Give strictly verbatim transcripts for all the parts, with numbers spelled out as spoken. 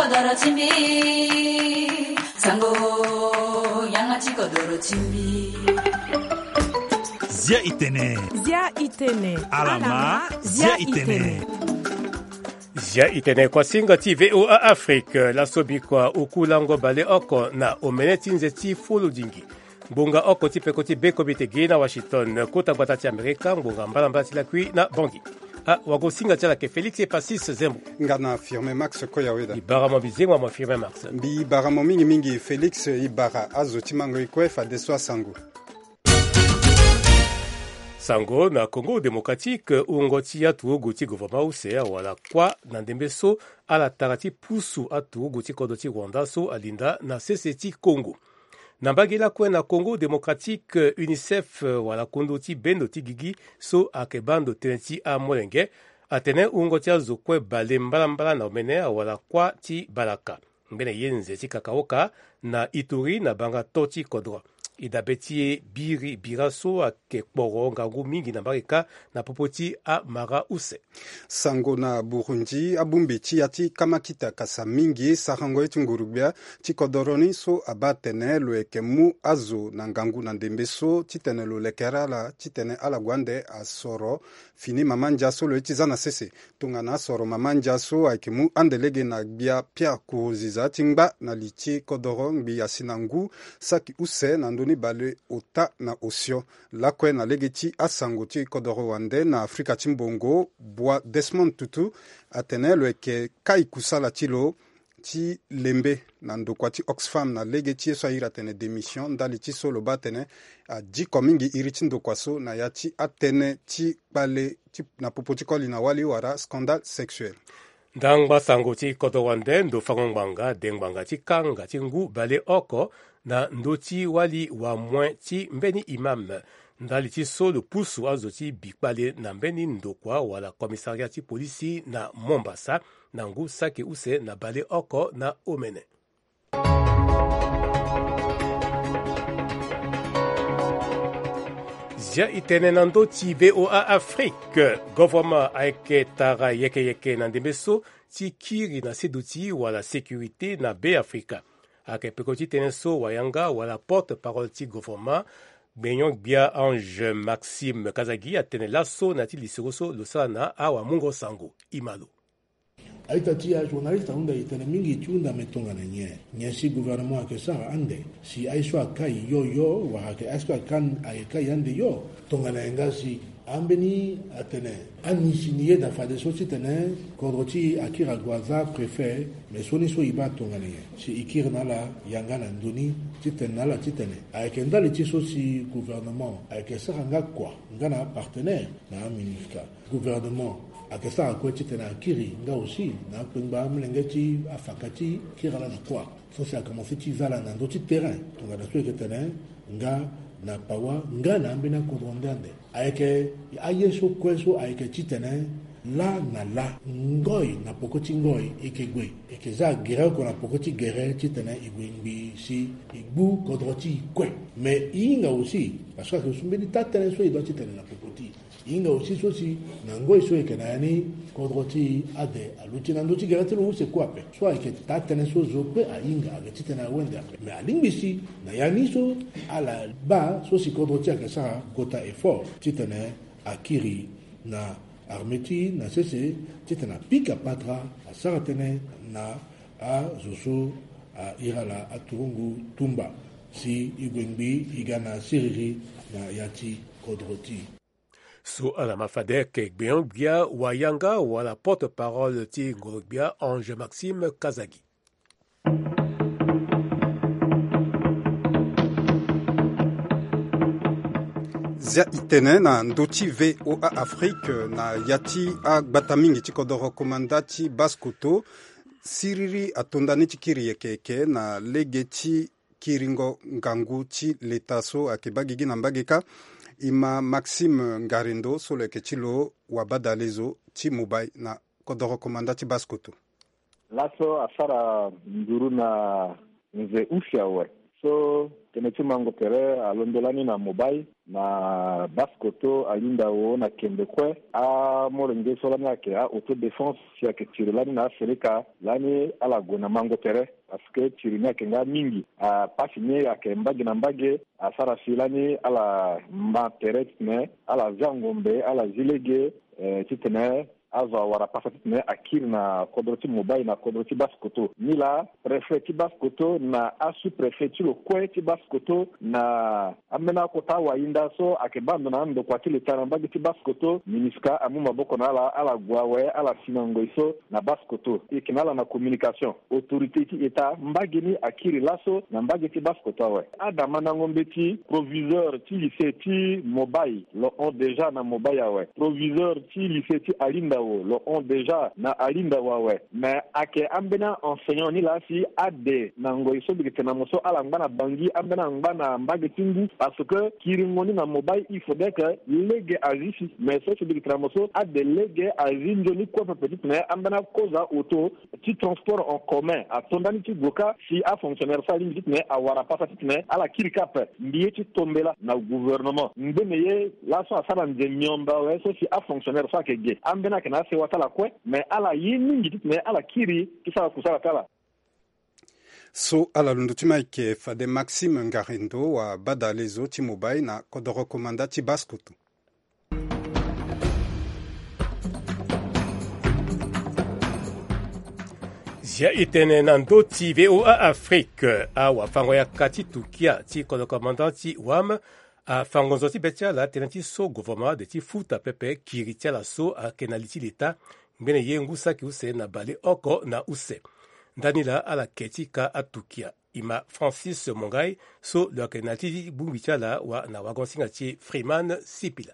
Doro ti mbi, sango, yanga ti kodoro ti mbi. Zia itene. Zia itene. Alama, zia itene. Zia itene kuasinga ti V O A Afrique, laso bikua oku lango baleoko na omene ti nze ti fulu dingi. Ngbonga oko ti peko ti bekobe te gi na Washington, kota gbata ti Amerika, ngbonga mbalambala ti lakui na Bangui. Ah, wagosinga ti ala ke Félix Epacis Zembo. Nga na Firmin Max Koyaweda. Ibara mo bizengwa mo Firmin Max. Mbi ibara mo mingi mingi Félix, ibara azo ti mango ikue fadeso asango. Sango na Congo Démocratique, wungo ti aturugu ti gouvernement use awara kuâ na ndembe so ala tara ti pusu aturugu ti kodro ti Rwanda so alinda na sese ti Congo. Na mbage lakue na Congo Démocratique, UNICEF wala kundu ti bendo ti gigi so ayeke baa ndo tënë ti amolenge atene wungo ti azo kue bale mbalambala na omene awara kuâ ti balaka. Ngbene ye nze ti kakaoka na Ituri na banga to ti kodro. E dabe ti e biri bira so ayeke kporo ngangu mingi na mbage kâ na popo ti amara use. Sango na Burundi, abongbi ti ya ti kamakita kasa mingi sarango ye ti nguru-gbia ti kodoro ni so abaa atene lo yeke mu azo na ngangu na ndembe so titene lo lekere ala titene ala gue ande asoro fini mama ndia so lo ye ti za na sese. Tongana asoro mama ndia so ayeke mu ande lege na gbia Pierre Nkurunziza ti ngba na li ti kodoro ngbii asi na ngu saki use na ndö ni bale ota na osio. Lakue na lege ti asango ti kodoro wande na Afrika ti mbongo, Bwa Desmond Tutu atene lo yeke kai kusala ti lo ti lembe na ndokua ti Oxfam na lege ti ye so ahiri atene démission ndali ti so lo baa atene adiko mingi iri ti ndokua so na ya ti atënë ti kpale ti, na popo ti koli na wali wala scandale sexuel. Ndangba sango ti kodro wande, ndo fango ngbanga de ngbanga ti kanga ti ngu baleoko na ndö ti wali wamoin ti mbeni imam. Ndali ti so lo pusu azo ti bi kpale na mbeni ndokua wala commissariat ti polisi na Mombasa na ngu saki use na baleoko na omene. Zia itene na ndö ti V O A Afrique, govoroma ayeke tara yeke yeke na ndembe so ti kiri na seduti wala sécurité na Be Afrika. Ayeke peko ti tënë so wayanga wala porte-parole ti govoroma, Gbenyon-gbia Ange Maxime Kazagi atene laso na ya ti lisoro so lo sara na awamungo sango. Imalo. A-ita ti ajournaliste ahunda e tene mingi ti hunda me tongana nyen? Nyen si gouvernement ayeke sara ande si aye so akai yo yo wala ayeke aye so akan ayeke kai ande yo? Tongana nyen nga si ambeni atene ani si ni yeda fadeso titene kodro ti e akiri ague aza préfet, me so ni so e baa tongana nyen? Si e kiri na ala yanga na ndö ni titene na ala titene ayeke ndali ti so si gouvernement ayeke sara nga kua nga na apartenaire na aminusca. Gouvernement ayeke sara kue titene akiri nga aussi na akpengba amolenge ti afaka ti kiri ala na kuâ. So si akomanse ti za ala na ndö ti terrain tongana so e yeke tene nga na pawa nga na ambeni akodro nde ande. Ayeke aye so kue so ayeke titene lâ na lâ, ngoi na poko ti ngoi e yeke gue, e yeke za agere oko na poko ti gere titene e gue ngbii si e gbu kodro ti e kue. Me e hinga aussi parce que ayeke so mbeni taa-tënë so e doit ti tene na popo ti e. E hinga aussi so si na ngoi so e yeke na ya ni kodro ti e ade aluti na ndö ti gere ti lo use kue ape. So ayeke taa-tënë so zo kue ahinga ayeke titene awende ape. Me alingbi si na ya ni so ala baa so si kodro ti e ayeke sara kota effort titene akiri na armée ti e na sese titene apika patara asara tënë na azo so ahiri ala aturugu tumba si e gue ngbii e ga na siriri na ya ti kodro ti e. So ala ma fade ayeke gbenyon-gbia wayanga wala porte-parole ti ngoro-gbia Ange Maxime Kazagi. Zia itene na ndö ti V O A Afrique na ya ti agbata mingi ti kodoro komanda ti Basse-Kotto, siriri atonda ni ti kiri yeke yeke na lege ti kiringo ngangu ti leta so ayeke baa gigi na mbage kâ. E ma Maxime Ngarendo so lo yeke ti lo wabadalezo ti Mumbai na kodoro komanda ti Basse-Kotto. Laso asara nduru na nze use awe. So tënë ti mango tere alondo lani na Mobay na Basse-Kotto, Alindawo na Kembe kue. Amolenge so lani ayeke a-autodéfense si ayeke tiri lani na aseleka lani ala gue na mango tere. Parce que tiri ni ayeke nga mingi, apasi ni ayeke mbage na mbage. Asara si lani ala ma tere titene ala zi angombe, ala zi lege, eh, titene azo awara pasa titene akiri na kodro ti Mobay na kodro ti Basse-Kotto. Nilaa préfet ti Basse-Kotto na asous-préfet ti lo kue ti Basse-Kotto na ambeni akota awayinda so ayeke baa ndo na andokua ti leta na mbage ti Basse-Kotto, MINUSCA amu maboko na ala, ala gue awe, ala si na ngoi so na Basse-Kotto. E yeke na ala na communication. Autorité ti État mbage ni akiri laso na mbage ti Basse-Kotto awe. Adamandango mbeti, proviseur ti lycée ti Mobay lo hon déjà na Mobay awe. Proviseur ti lycée ti Alindawo lo hon déjà na Alindawo awe. Mais ayeke ambeni a-enseignant ni laa si ade na ngoi so mbi yeke tene na mo so ala ngba na Bangui, ambeni angba na mbage ti ngu, parce que kiringo ni na Mobay il faudrait que lege azi si. Mais so si mbi yeke tene na mo so ade lege azi nzoni kue pepe titene ambeni akozo auto ti transport en commun ato ndani ti gue kâ si afonctionnaire so alingbi titene awara pasa titene ala kiri kâ ape. Mbi ye ti tombela na gouvernement ngbene ye laso asara nze miombe awe so si afonctionnaire so ayeke ge ambeni ayeke na asewa ti ala kue, mais ala ye mingi titene ala kiri ti sara kusala ti ala. So ala londo ti ma ayeke fade Maxime Ngarindo, wabadalezo ti Mobay na kodoro komanda ti Basse-Kotto. Zia e tene na ndö ti V O A Afrique, awafango-yaka ti Turquia ti kodoro komanda ti WAM afango nzoni ti be ti ala tënë ti so gouvernement ade ti futa pepe kiri ti ala so ayeke na li ti leta ngbene ye ngu saki use na baleoko na use. Ndani laa ala ke ti ka aTurquia. E ma Francis Mongai so lo yeke na li ti bongbi ti ala wa na wagon-singa ti Freeman Sipila.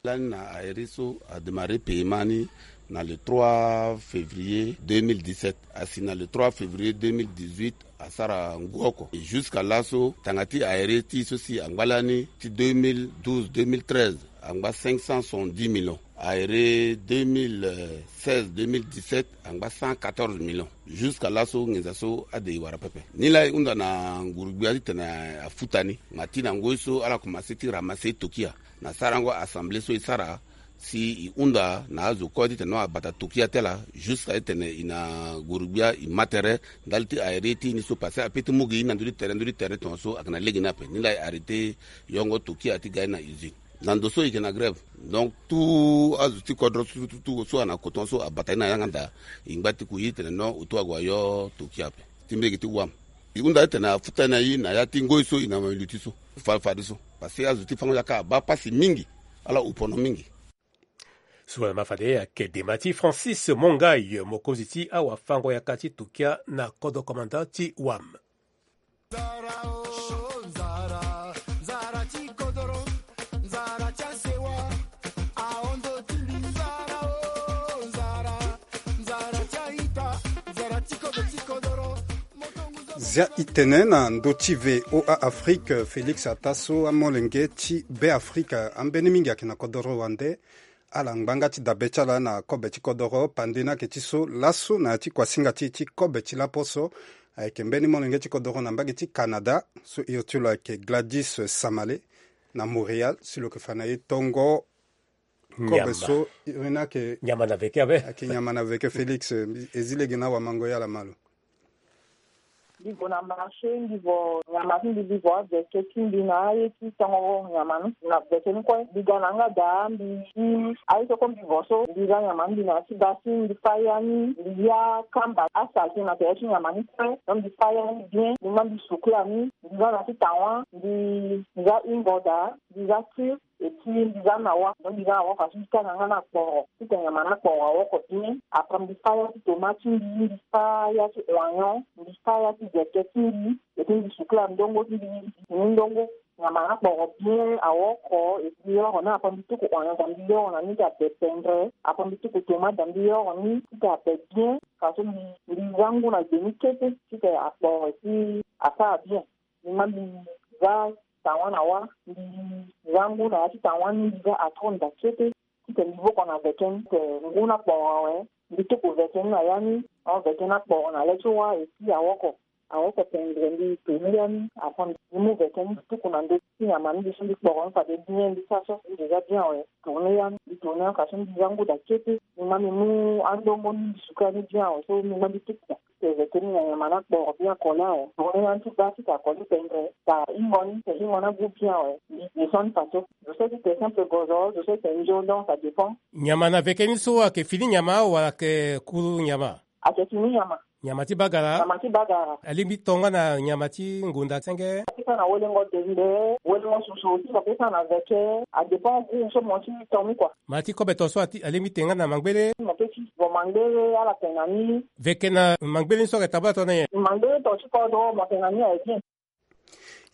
Lani na aéré so adémarré paiement ni na le trois février deux mille dix-sept, asi na le trois février deux mille dix-huit asara ngu oko. Jusqu'à laso tanga ti aéré ti so si angba lani ti deux mille douze deux mille treize angba cinq cent soixante-dix millions. Aéré deux mille seize deux mille dix-sept angba cent quatorze millions. Jusqu'à laso nginza so ade e wara pepe. Ni laa e hunda na nguru-gbia titene afuta ni. Ma ti na ngoi so ala komanse ti ramasser Turquia na sarango assemblée so e sara si e hunda na azo kue titene no abata Turquia ti ala, jusqu'à titene e na nguru-gbia e ma tere ndali ti aéré ti e ni so, parce que ape ti mu gi e na ndö ti tere, ndö ti tere tongaso ayeke na lege ni ape. Ni laa e arrêté yongo Turquia ti ga e na usine. Na ndo so e yeke na grève. Donc tout azo ti kodro so, tout, tout, so ana koton so abata e na yanga nda, e ngba ti ku e titene no auto ague ayo Turquia ape. Ti mbege ti WAM. E hunda titene afuta e na e na ya ti ngoi so e na luti so. Fa, fadeso. Parce que azo ti fango-yaka abaa pasi mingi. Ala upono mingi. So wala ma fade ayeke dema ti Francis Mongai, mokonzi ti awafango-yaka ti Turquia na kodro komanda ti WAM. Zia e tene na ndö ti V O A Afrique, Félix Ataso, amolenge ti Beafrika ambeni mingi ayeke na kodoro wande. Ala ngba nga ti dabe ti ala na kobe ti kodoro pande ni ayeke ti so laso na ya ti kuasinga ti e ti kobe ti laposo. Ayeke mbeni molenge ti kodoro na mbage ti Canada so hio ti lo ayeke Gladys Samale na Montréal si lo yeke fa na e tongo kobe so iri ni ayeke nyama na veke abe. Ayeke nyama na veke Félix, e zi lege na awamango ya ala malo. Mbi gue na marché, mbi vo nyama ti mbi, mbi vo aveke ti mbi na aye ti tongo nyama ni na veke ni kue. Mbi ga na yanga daa, mbi si aye so kue mbi vo so, mbi za nyama ni, mbi na ya ti basi, mbi fa ya ni, mbi ya kamba asaleté na tere ti nyama ni kue. Donc mbi fa ya ni bien, mbi ma mbi sukula ni, mbi za na ti tawa, mbi za ingo daa, mbi za cure. Et puis mbi za na wa, donc mbi za na wa façon ti tanga nga na kporo, ti tene nyama na kporo awoko bien. Après mbi fa ya ti tomate ti mbi, mbi fa ya ti oignon, mbi fa ya ti veke ti mbi. Et puis mbi sukula ndongo ti mbi, mbi sukula ndongo. Nyama na kporo bien awoko, et puis mbi yoro ni, après mbi tuku oignon da mbi yoro na ni ti abe pendre, après mbi tuku tomate da mbi yoro ni ti abe bien. Façon mbi, mbi za ngu na gbe ni kete ti tene akporo, et puis asara bien. Mbi ma mbi za tawa na wa, mbi za ngu na ya ti tawa ni, mbi za atro nda kete. Ti tene mbi voko na veke ni, ti tene ngu na kporo awe, mbi tuku veke ni na ya ni, ahon veke ni akporo na le ti wa, et puis awoko. Aoko pendre mbi tourne ya ni. Après mbi mu veke ni tuku na ndö ti nyama ni, mbi so mbi kporo ni fade bien, mbi sara so mbi déjà bien awe. Tourne ya ni, mbi tourne ya ni, ka so mbi za nguda kete. Mbi ma mbi mu andongo ni, mbi suka ni bien awe, so mbi ma mbi tuku. Te veke ni na nyama ni akporo bien akole awe. Tourne ya ni ti baa ti ta koli pendre, ta hingo ni, ta hingo ni agu bien awe. Mbi descend ni faso. Zo so ti te simple gozo, zo so ti te nzo, donc ça dépend. Nyama na veke ni so ayeke fini nyama wala ayeke kuru nyama? Ayeke fini nyama. Nyama ti bagara? Nyama ti bagara. Alingbi to nga na nyama ti ngonda senge? Apesa na welengo dende, welengo susu ti lo pesa na veke. Adépend goût so mo ti to ni kua. Ma ti kobe to so ati-, alingbi te nga na mangbele? Mo pe ti vo mangbele ala te na ni. Veke na mangbele ni so ayeke tabla to na nyen? Mangbele to ti kodro mo te na ni aye bien.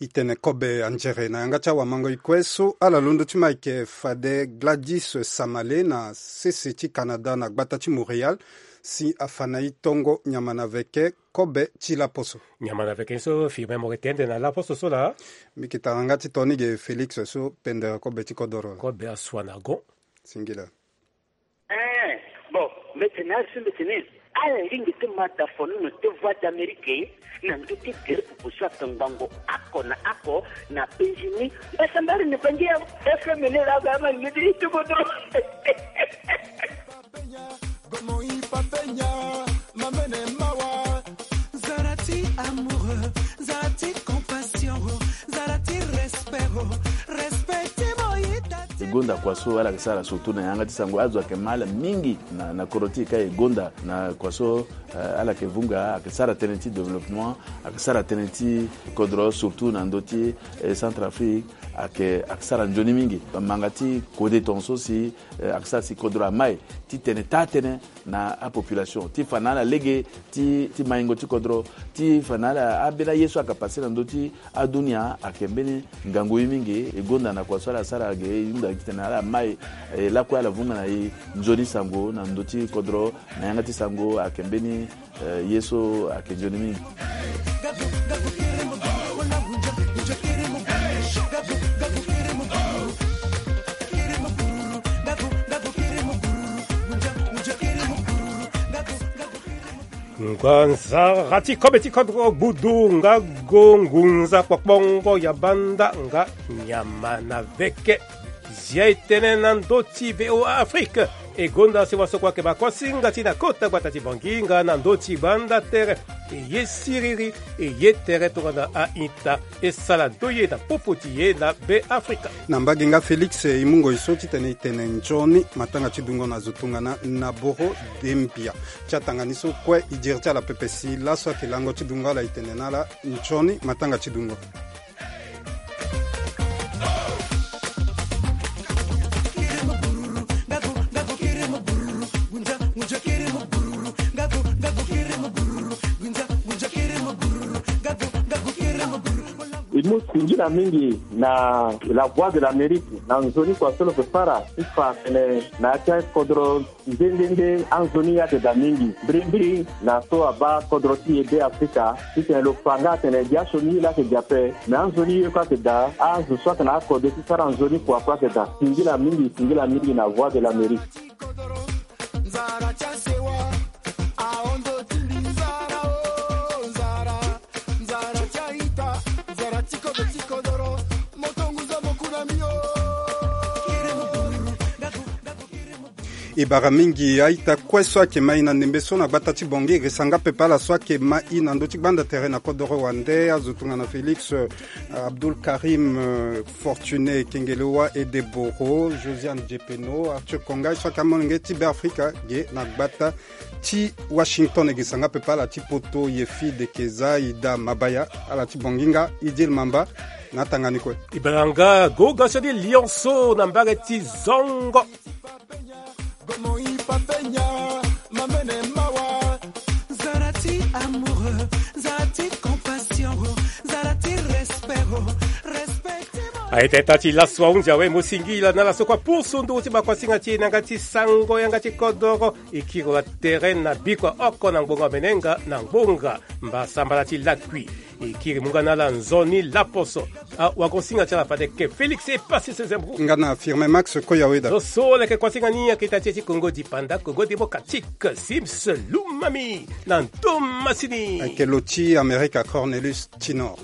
I tene kobe anzere na yanga ti awamango-e kue so ala londo ti ma ayeke fade Gladys Samale na sese ti Canada na gbata ti Montréal, si afa na e tongo nyama na veke kobe ti laposo. Nyama na veke ni so firme mo yeke tende na laposo so laa. Mbi yeke tara nga ti to ni ge Félix so pendere kobe ti kodoro. Kobe asua na gon. Singila. Eh, bon, mbeti na asu mbeti ni. Ala lingbi ti ma da fono na te Voix d'Amérique na ndö ti gere pupu so ayeke ngbongo oko na oko na penzi ni. Mbasa mbari ni bangi ya F M ni la ga ma ni ti tukutu. Gomo i papenya, mamene mawa. Zara ti amoureux, zara ti compassion, zara ti respect, respect ti mo yita ti. E gonda kua so ala yeke sara surtout na yanga ti sango, azo ayeke ma ala mingi na, na kodro ti e ka e gonda na kua so, eh, ala yeke vunga, ayeke sara tënë ti développement, ayeke sara tënë ti kodro surtout na ndö ti, eh, Centrafrique, ayeke, ayeke sara nzoni mingi. Manga ti kode tongaso si, eh, ayeke sara si kodro amai ti tene taa tënë na apopulation, ti fa na ala lege ti, ti maingo ti kodro, ti fa na ala ambeni aye so ayeke pase na ndö ti adunia ayeke mbeni ngangu ye mingi. E gonda na kua so ala sara ge, e hunda titene ala mai, e lakue ala vunga na e nzoni sango na ndö ti kodro, na yanga ti sango ayeke mbeni, eh, ye so ayeke nzoni mingi. Nganzara ti kobe ti kodro gbudu nga go ngunza kpokpongo ya banda nga nyama na veke. Zia e tene na ndö ti V O A Afrique. E gonda si wasoko ayeke bakosinga ti na kota gbata ti Bangui nga na ndö ti banda tere. E ye siriri, e ye tere tongana a-ita. E sala ndo ye na popo ti ye na Beafrika. Na mbage nga Félix, e mu ngoi so titene e tene nzoni matanga ti dungo na zo tongana na boro Dembia. Ti atanga ni so kue e diri ti ala pepe si laso ayeke lango ti dungo ala e tene na ala nzoni matanga ti dungo. E mu singila mingi na La Voix de l'Amérique na nzoni kua so lo yeke sara ti fa tene na ya ti akodro nde nde nde anzoni ye ayeke daa mingi. Mbirimbiri na so abaa kodro ti e Beafrika titene lo fa nga atene biaso ni ye laa ayeke daa ape, me anzoni ye kue ayeke daa, azo so ayeke na akode ti sara nzoni kua kue ayeke daa. Singila mingi, singila mingi na Voix de l'Amérique. Nzara ti asewa, ahondo ti mbi nzara o, nzara. Nzara ti a-ita, nzara ti kobe ti kodoro, moto ngunza moku na mbi o. E bara mingi a-ita kue so ayeke ma e na ndembe so na gbata ti Bangui, e resa nga pepe ala so ayeke ma e na ndö ti gbanda tere na kodoro wande, azo tongana Félix, euh, Abdoul Karim, euh, Fortuné Kengelewa, Ede Boro, Josiane Djepeno, Arthur Konga, so ayeke amolenge ti Beafrika ge na gbata ti Washington. E ge sanga pepe ala ti poto, Yefi Dekeza, Ida Mabaya, ala ti Bonginga, Idil Mamba, na atanga ni kue. E bara nga goga so ni lionceau na mbage ti zongo. Gomo i papenya, mamene mawa. Zara ti amoureux, zara ti compassion, zara ti respect, respect ti mo. Aye teta ti laso ahunzi awe, mo singila na ala so kue apusu nduru ti bakuasinga ti e na yanga ti sango yanga ti kodoro. E kiri wa tere na bikua oko na ngbonga menenga na ngbonga mbasambala ti lakui. E kiri mu nga na ala nzoni laposo. A wago singa ti ala fade ke Félix e pasi sese mbu. Nga na Firmin Max Koyaweda. Zo so leke kuasinga ni ayeke ita ti e ti Kongo Dipanda, Kongo Démocratique, Sims Lumami na ntomasini. Ayeke lo ti Amerika Cornelius Tinor.